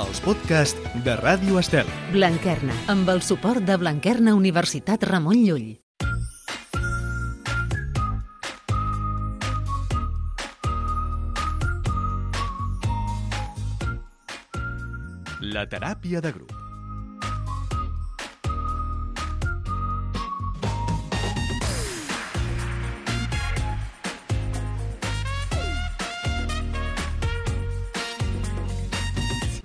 els podcasts de Ràdio Estel. Blanquerna, amb el suport de Blanquerna Universitat Ramon Llull. La teràpia de grup.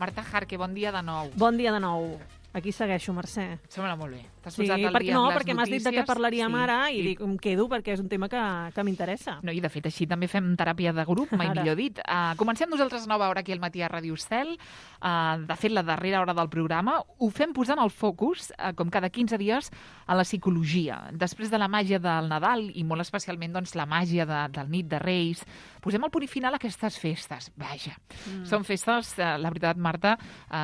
Marta Jarque, bon dia de nou. Bon dia de nou. Aquí segueixo, Mercè. Sembla molt bé. T'has Sí, posat al perquè dia amb les perquè m'has dit de què notícies. parlaríem Sí. ara i dic, em quedo perquè és un tema que m'interessa. No, i de fet així també fem teràpia de grup, mai Ara. millor dit. Comencem nosaltres a nova hora aquí al matí a Ràdio Estel. De fet, la darrera hora del programa ho fem posant el focus, com cada 15 dies, a la psicologia. Després de la màgia del Nadal i molt especialment doncs, la màgia del nit de Reis, posem el punt final a aquestes festes. Vaja, són festes, la veritat, Marta,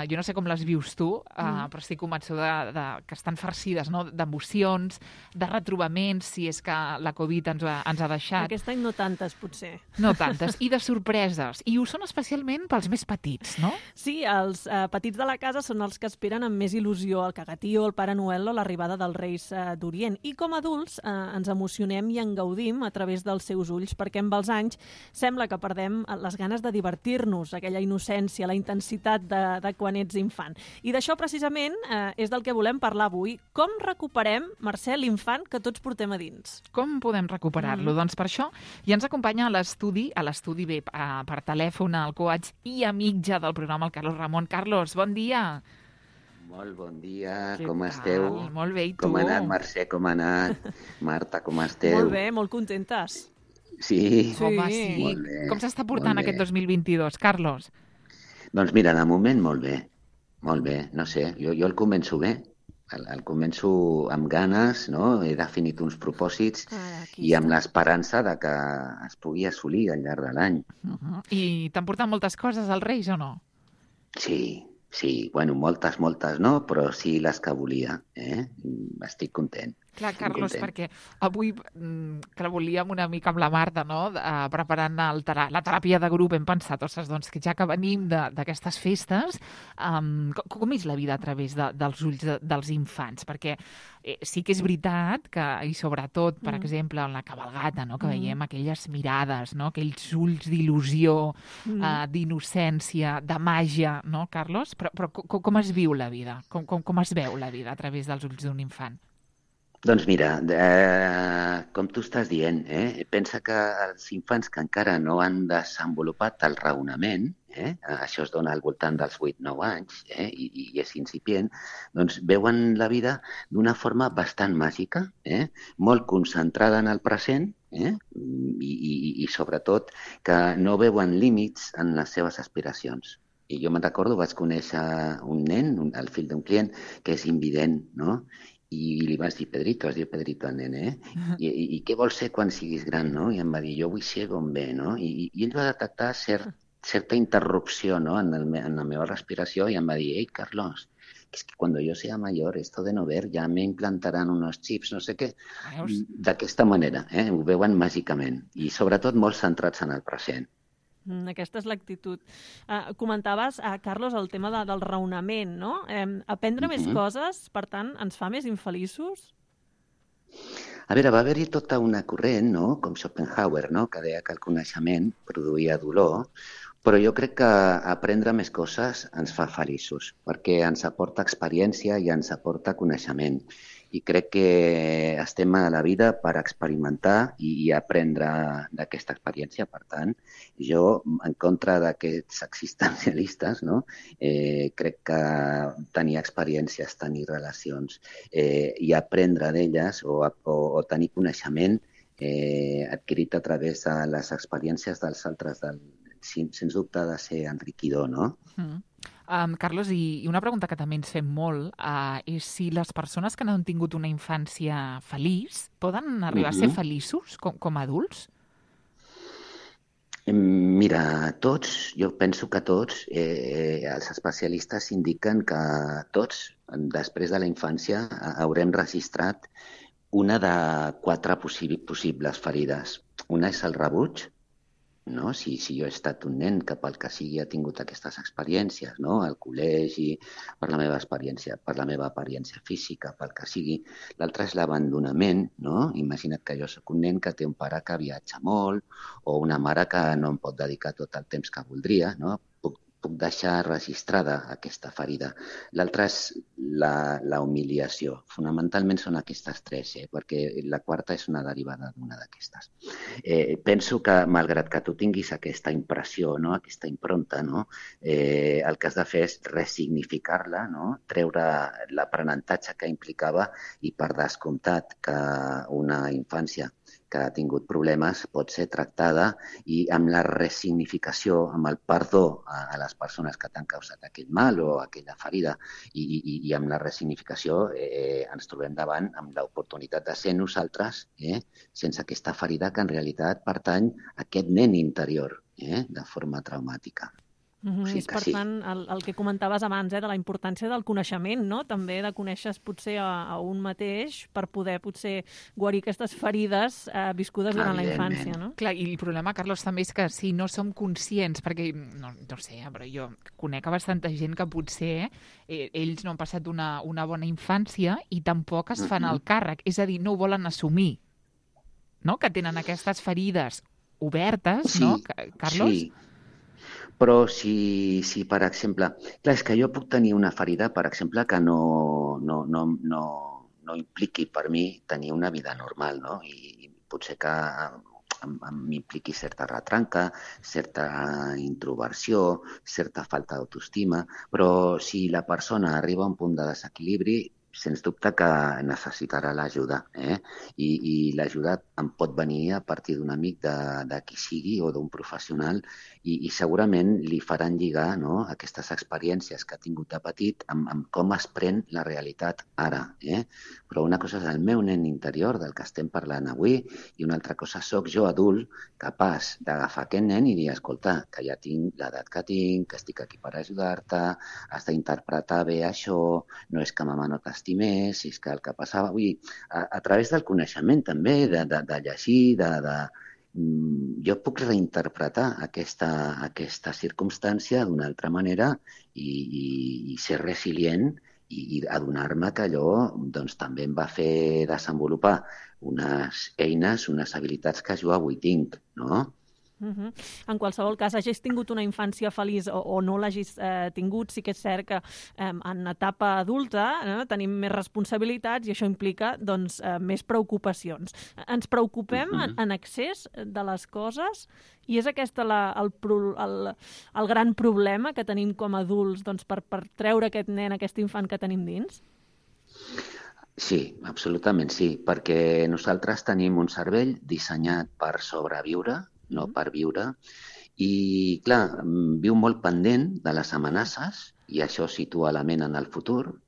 jo no sé com les vius tu, però estic convençuda que estan farcides, no? D'emocions, de retrobaments, si és que la Covid ens ha deixat. Aquest any no tantes, potser. No tantes. I de sorpreses. I ho són especialment pels més petits, no? Sí, els petits de la casa són els que esperen amb més il·lusió el cagatío, el Pare Noel o l'arribada dels Reis d'Orient. I com a adults ens emocionem i en gaudim a través dels seus ulls, perquè amb els anys sembla que perdem les ganes de divertir-nos, aquella innocència, la intensitat de quan ets infant. I d'això precisament és del que volem parlar avui. Com recuperem, Mercè, l'infant que tots portem a dins? Com podem recuperar-lo? Doncs per això ja ens acompanya a l'estudi bé, per telèfon, el coach i amic ja del programa, el Carlos Ramon. Carlos, bon dia. Molt bon dia, Què com tal? esteu? Molt bé, i tu? Com ha anat, Mercè, com ha anat? Marta, com esteu? Molt bé, molt contentes. Sí? Sí. Home, sí. Molt bé, Com s'està portant molt bé. aquest 2022, Carlos? Doncs mira, de moment molt bé. Molt bé, no sé, jo el començo bé. El començo amb ganes, no? He definit uns propòsits i amb l'esperança de que es pugui assolir al llarg de l'any. I t'han portat moltes coses als Reis o no? Sí, bueno, moltes no, però sí les que volia, Estic content. Clar, estic Carlos, content. perquè avui que la volíem una mica amb la Marta, no? Preparant la teràpia de grup, hem pensat, ostres, doncs que ja que venim d'aquestes festes, com és la vida a través dels ulls dels infants? Perquè sí que és veritat que, i sobretot, per exemple, en la cabalgata, no? Que veiem aquelles mirades, no? Aquells ulls d'il·lusió, d'innocència, de màgia, no, Carlos? Però com es viu la vida? Com es veu la vida a través dels ulls d'un infant? Doncs mira, com tu estàs dient, pensa que els infants que encara no han desenvolupat el raonament, això es dona al voltant dels 8-9 anys, i és incipient, doncs veuen la vida d'una forma bastant màgica, molt concentrada en el present, i sobretot que no veuen límits en les seves aspiracions. I jo me'n recordo, vaig conèixer un nen, el fill d'un client, que és invident, no? I li vaig dir, Pedrito, es diu Pedrito el nen, I què vols ser quan siguis gran, no? I em va dir, jo vull ser bomber, no? I ell va detectar certa interrupció, no? en la meva respiració i em va dir, ei, Carlos, es que cuando yo sea mayor, esto de no ver, ya me implantarán unos chips, no sé què. D'aquesta manera, ho veuen màgicament. I sobretot molt centrats en el present. Aquesta és l'actitud. Comentaves, Carlos, el tema del raonament, no? Aprendre més coses, per tant, ens fa més infeliços? A veure, va haver-hi tota una corrent, no? Com Schopenhauer, no? Que deia que el coneixement produïa dolor, però jo crec que aprendre més coses ens fa feliços, perquè ens aporta experiència i ens aporta coneixement. I crec que estem a la vida per experimentar i aprendre d'aquesta experiència. Per tant, jo, en contra d'aquests existencialistes, no? Crec que tenir experiències, tenir relacions i aprendre d'elles o tenir coneixement adquirit a través de les experiències dels altres, sens dubte ha de ser enriquidor, no? Carlos, i una pregunta que també ens fem molt és si les persones que no han tingut una infància feliç poden arribar a ser feliços com a adults? Mira, jo penso que tots, els especialistes indiquen que tots, després de la infància, haurem registrat una de 4 possibles ferides. Una és el rebuig, no? Si jo he estat un nen que pel que sigui ha tingut aquestes experiències, no? Al col·legi, per la meva experiència física, pel que sigui. L'altre és l'abandonament, no? Imagina't que jo sóc un nen que té un pare que viatja molt o una mare que no em pot dedicar tot el temps que voldria, no? Puc deixar registrada aquesta ferida. L'altra és la humiliació. Fonamentalment són aquestes tres, perquè la quarta és una derivada d'una d'aquestes. Penso que, malgrat que tu tinguis aquesta impressió, no? Aquesta impronta, no? El que has de fer és ressignificar-la, no? Treure l'aprenentatge que implicava i, per descomptat, que una infància que ha tingut problemes pot ser tractada i amb la ressignificació, amb el perdó a les persones que t'han causat aquest mal o aquella ferida i amb la ressignificació ens trobem davant amb l'oportunitat de ser nosaltres sense aquesta ferida que en realitat pertany a aquest nen interior de forma traumàtica. O sigui, és, per tant, el que comentaves abans, de la importància del coneixement, no? També de conèixer potser a un mateix per poder potser guarir aquestes ferides viscudes durant la infància, no? Clar, i el problema, Carlos, també és que si no som conscients, perquè, no sé, però jo conec a bastanta gent que potser ells no han passat una bona infància i tampoc es fan el càrrec, és a dir, no ho volen assumir, no? Que tenen aquestes ferides obertes, sí, no, Carlos? Sí. Però si, per exemple... Clar, és que jo puc tenir una ferida, per exemple, que no impliqui per mi tenir una vida normal, no? I potser que m'impliqui certa retranca, certa introversió, certa falta d'autoestima, però si la persona arriba a un punt de desequilibri, sens dubte que necessitarà l'ajuda. I l'ajuda em pot venir a partir d'un amic de qui sigui o d'un professional i segurament li faran lligar aquestes experiències que ha tingut de petit amb com es pren la realitat ara. Però una cosa és el meu nen interior, del que estem parlant avui, i una altra cosa sóc jo, adult, capaç d'agafar aquest nen i dir, escolta, que ja tinc l'edat que tinc, que estic aquí per ajudar-te, has d'interpretar bé això, no és que mama no t'estimés, és que el que passava... Vull dir, a través del coneixement també, de llegir, jo puc reinterpretar aquesta circumstància d'una altra manera i ser resilient i adonar-me que allò també em va fer desenvolupar unes eines, unes habilitats que jo avui tinc, no? En qualsevol cas, hagis tingut una infància feliç o no l'hagis tingut, sí que és cert que en etapa adulta tenim més responsabilitats i això implica més preocupacions. Ens preocupem en excés de les coses i és aquest el gran problema que tenim com a adults per treure aquest nen, aquest infant que tenim dins? Sí, absolutament sí, perquè nosaltres tenim un cervell dissenyat per sobreviure, no per viure, i clar, viu molt pendent de les amenaces i això situa la ment en el futur,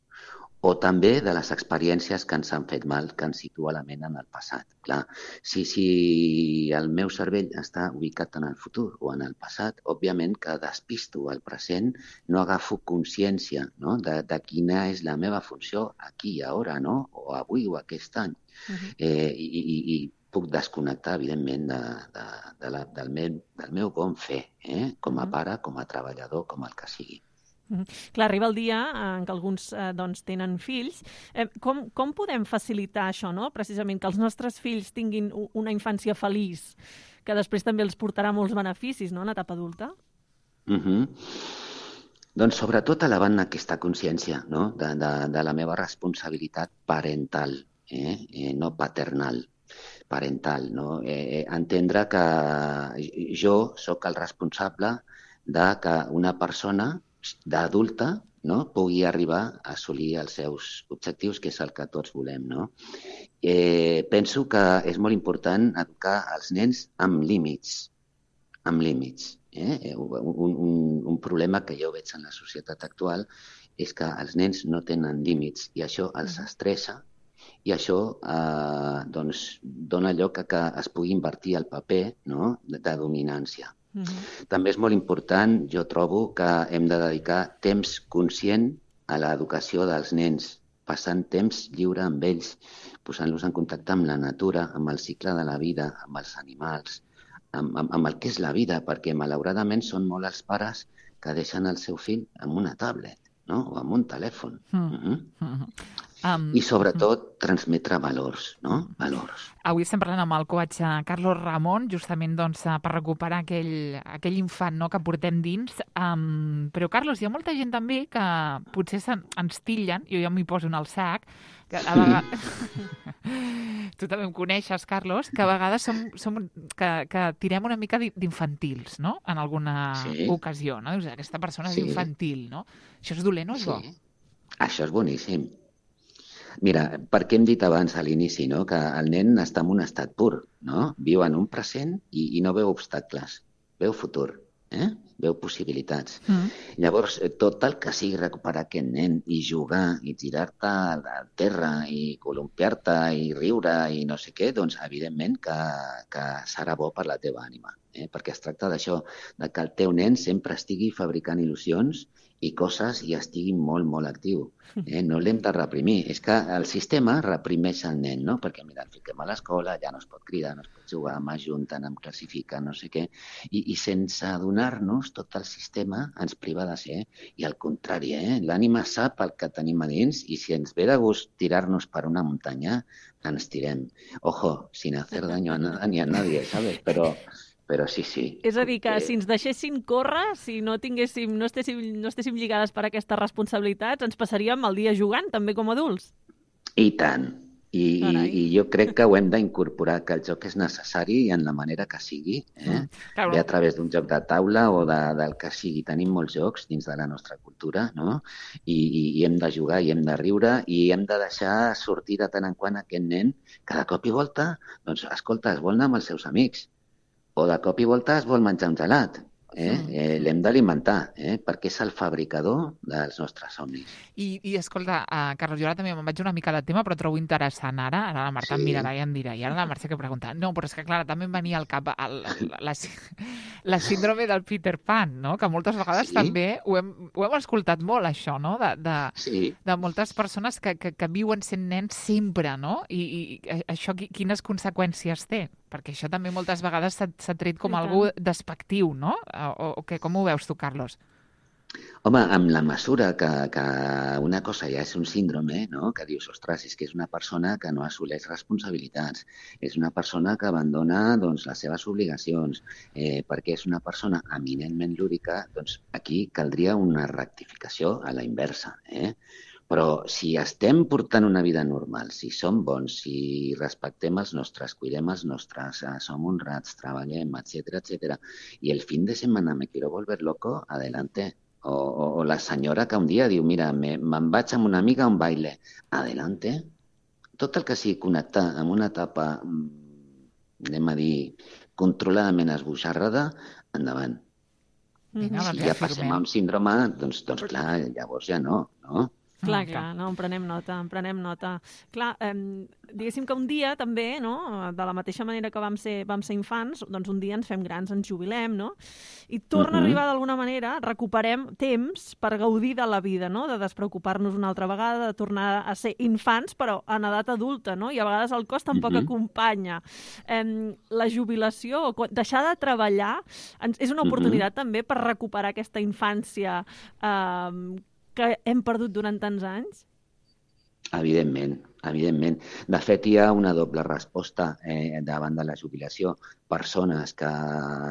o també de les experiències que ens han fet mal, que ens situa la ment en el passat. Clar, si el meu cervell està ubicat en el futur o en el passat, òbviament que despisto el present, no agafo consciència de quina és la meva funció aquí i ara, o avui o aquest any. I puc desconnectar, evidentment, del meu bon fer, com a pare, com a treballador, com el que sigui. Clar, arriba el dia en què alguns tenen fills. Com podem facilitar això, precisament, que els nostres fills tinguin una infància feliç, que després també els portarà molts beneficis en etapa adulta? Doncs sobretot elevant aquesta consciència de la meva responsabilitat parental, no paternal. Parental, entendre que jo sóc el responsable de que una persona d'adulta pugui arribar a assolir els seus objectius, que és el que tots volem. Penso que és molt important educar els nens amb límits. Un problema que jo veig en la societat actual és que els nens no tenen límits i això els estressa i això dona lloc a que es pugui invertir el paper de dominància. També és molt important, jo trobo, que hem de dedicar temps conscient a l'educació dels nens, passant temps lliure amb ells, posant-los en contacte amb la natura, amb el cicle de la vida, amb els animals, amb el que és la vida, perquè malauradament són molt els pares que deixen el seu fill amb una tablet, no? O amb un telèfon. I sobretot transmetre valors, no? Valors. Avui estem parlant amb el coach Carlos Ramon, justament doncs, per recuperar aquell infant, no?, que portem dins. Però, Carlos, hi ha molta gent també que potser ens tillen, jo ja m'hi poso en el sac, que a vegades... Tu també em coneixes, Carlos, que a vegades que tirem una mica d'infantils, no?, en alguna ocasió, no? Dius, aquesta persona és infantil, no? Això és dolent o és bo? Això és boníssim. Mira, perquè hem dit abans a l'inici, no?, que el nen està en un estat pur, no? Viu en un present i no veu obstacles, veu futur, veu possibilitats. Llavors, tot el que sigui recuperar aquest nen i jugar i tirar-te al terra i columpiar-te i riure i no sé què, doncs evidentment que serà bo per la teva ànima, perquè es tracta d'això, de que el teu nen sempre estigui fabricant il·lusions i coses i estigui molt, molt actiu. No l'hem de reprimir. És que el sistema reprimeix el nen, no? Perquè, mira, el fiquem a l'escola, ja no es pot cridar, no es pot jugar, m'ajunten, em classifiquen, no sé què. I sense adonar-nos, tot el sistema ens priva de ser. I al contrari, l'ànima sap el que tenim a dins i si ens ve de gust tirar-nos per una muntanya, ens tirem. Ojo, sin hacer daño a nada ni a nadie, ¿sabes? Però sí. És a dir, que si ens deixessin córrer, si no estéssim lligades per aquestes responsabilitats, ens passaríem el dia jugant, també com a adults. I tant. I jo crec que ho hem d'incorporar, que el joc és necessari i en la manera que sigui, bé a través d'un joc de taula o del que sigui. Tenim molts jocs dins de la nostra cultura, no? I hem de jugar i hem de riure i hem de deixar sortir de tant en quant aquest nen que de cop i volta, doncs, escolta, es vol anar amb els seus amics. O de cop i volta es vol menjar un gelat. L'hem d'alimentar, perquè és el fabricador dels nostres somnis. I escolta, Carlos, jo ara també me'n vaig una mica de tema, però trobo interessant ara la Marta em mirarà i em dirà, i ara la Mercè que pregunta, no, però és que clar, també em venia al cap la síndrome del Peter Pan, no? Que moltes vegades també ho hem escoltat molt, això, no? De moltes persones que viuen sent nens sempre, no? I això quines conseqüències té? Perquè això també moltes vegades s'ha tret com algú despectiu, no? O què? Com ho veus tu, Carlos? Home, amb la mesura que una cosa ja és un síndrome, no? Que dius, ostres, és que és una persona que no assoleix responsabilitats, és una persona que abandona doncs, les seves obligacions, perquè és una persona eminentment lúdica, doncs aquí caldria una rectificació a la inversa, Però si estem portant una vida normal, si som bons, si respectem els nostres, cuidem els nostres, som honrats, treballem, etc., i el fin de semana me quiero volver loco, adelante. O la senyora que un dia diu, mira, me'n vaig amb una amiga a un baile, adelante. Tot el que sigui connectar amb una etapa, anem a dir, controladament esbojarrada, endavant. Si ja passem a un síndrome, doncs clar, llavors ja no? Clar, no, en prenem nota. Clar, diguéssim que un dia també, no, de la mateixa manera que vam ser infants, doncs un dia ens fem grans, ens jubilem, no? I torna a arribar d'alguna manera, recuperem temps per gaudir de la vida, no? De despreocupar-nos una altra vegada, de tornar a ser infants, però en edat adulta, no? I a vegades el cos tampoc acompanya. La jubilació, deixar de treballar, és una oportunitat també per recuperar aquesta infància que hem perdut durant tants anys? Evidentment. De fet, hi ha una doble resposta davant de la jubilació. Persones que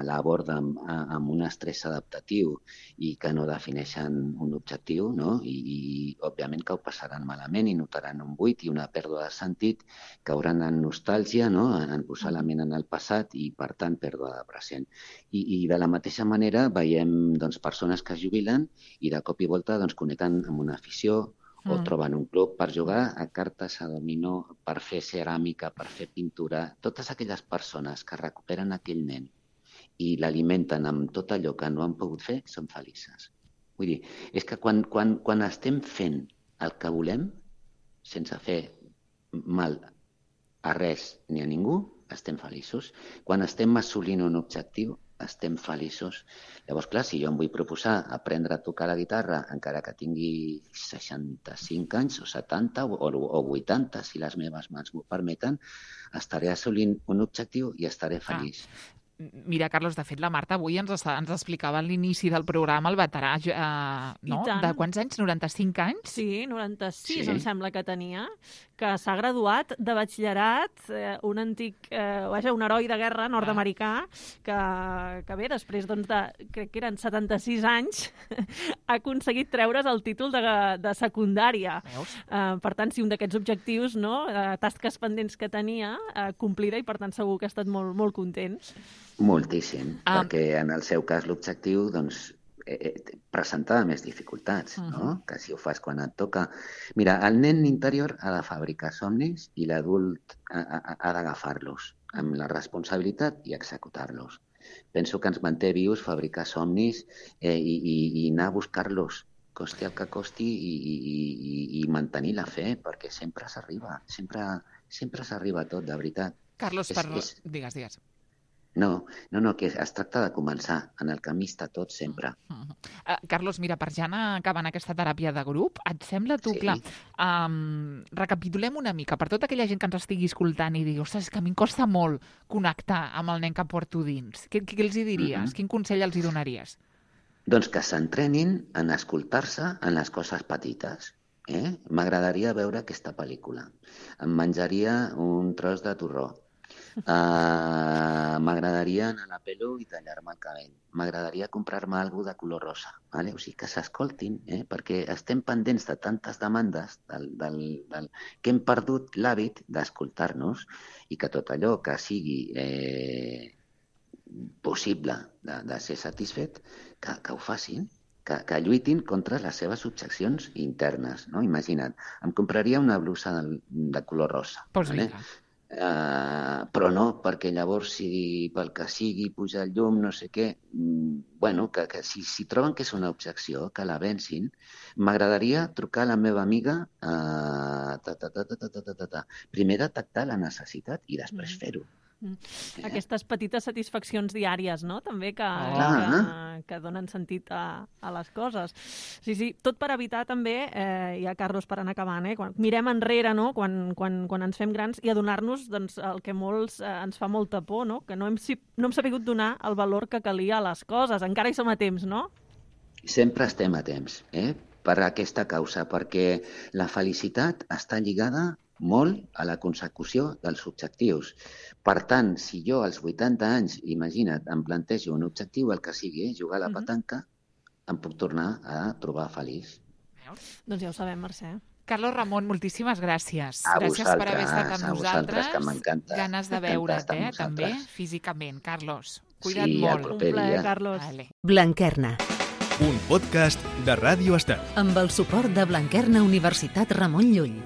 l'aborden amb un estrès adaptatiu i que no defineixen un objectiu, no? I òbviament que ho passaran malament i notaran un buit i una pèrdua de sentit, cauran en nostàlgia, no? En posar la ment en el passat i, per tant, pèrdua de present. I de la mateixa manera veiem doncs, persones que es jubilen i de cop i volta doncs, connecten amb una afició o troben un club per jugar a cartes, a dominó, per fer ceràmica, per fer pintura. Totes aquelles persones que recuperen aquell nen i l'alimenten amb tot allò que no han pogut fer, són felices. Vull dir, és que quan estem fent el que volem, sense fer mal a res ni a ningú, estem feliços. Quan estem assolint un objectiu, estem feliços. Llavors, clar, si jo em vull proposar aprendre a tocar la guitarra, encara que tingui 65 anys, o 70, o 80, si les meves mans m'ho permeten, estaré assolint un objectiu i estaré feliç. Mira, Carlos, de fet, la Marta avui ens explicava a l'inici del programa el veterà, no? De quants anys? 95 anys? Sí, 96 em sembla que tenia, que s'ha graduat de batxillerat, un antic, un heroi de guerra nord-americà, que bé, després crec que eren 76 anys, ha aconseguit treure's el títol de secundària. Per tant, sí, un d'aquests objectius, no? Tasques pendents que tenia, complida, i per tant segur que ha estat molt, molt content. Moltíssim, perquè en el seu cas l'objectiu presentava més dificultats, no? Que si ho fas quan et toca. Mira, el nen interior ha de fabricar somnis i l'adult ha d'agafar-los amb la responsabilitat i executar-los. Penso que ens manté vius fabricar somnis i anar a buscar-los, costi el que costi, i mantenir la fe, perquè sempre s'arriba, sempre s'arriba a tot, de veritat. Carlos, digues. No, que es tracta de començar. En el camí està tot sempre. Carlos, mira, per ja anar acabant aquesta teràpia de grup, et sembla tu, clar, recapitulem una mica, per tota aquella gent que ens estigui escoltant i digui, ostres, és que a mi em costa molt connectar amb el nen que porto dins. Què els hi diries? Quin consell els hi donaries? Doncs que s'entrenin en escoltar-se en les coses petites. M'agradaria veure aquesta pel·lícula. Em menjaria un tros de torró. M'agradaria anar a la pelo i tallar-me el cabell. M'agradaria comprar-me alguna de color rosa. Vale? O sigui, que s'escoltin, perquè estem pendents de tantes demandes que hem perdut l'hàbit d'escoltar-nos, i que tot allò que sigui possible de ser satisfet, que ho facin, que lluitin contra les seves objeccions internes. No? Imagina't, em compraria una blusa de color rosa. Pues vinga. Però no, perquè llavors si pel que sigui puja el llum, no sé què, que si troben que és una objecció, que la vencin. M'agradaria trucar a la meva amiga, primer detectar la necessitat i després fer-ho. Aquestes petites satisfaccions diàries, no? També que donen sentit a les coses. Sí, tot per evitar també, ja, Carlos, per anar acabant, quan mirem enrere, no? Quan ens fem grans, i adonar-nos el que molts ens fa molta por, no? Que no hem sabut donar el valor que calia a les coses. Encara hi som a temps, no? Sempre estem a temps, per aquesta causa, perquè la felicitat està lligada molt a la consecució dels objectius. Per tant, si jo als 80 anys, imagina't, em plantejo un objectiu, el que sigui, jugar a la petanca, em puc tornar a trobar feliç. Doncs ja ho sabem, Mercè. Carlos Ramon, moltíssimes gràcies. Gràcies per haver estat amb nosaltres. Que m'encanta. Ganes de veure't, també, físicament. Carlos, cuida't molt. Un plaer, Carlos. Vale. Blanquerna. Un podcast de Ràdio Estel. Amb el suport de Blanquerna Universitat Ramon Llull.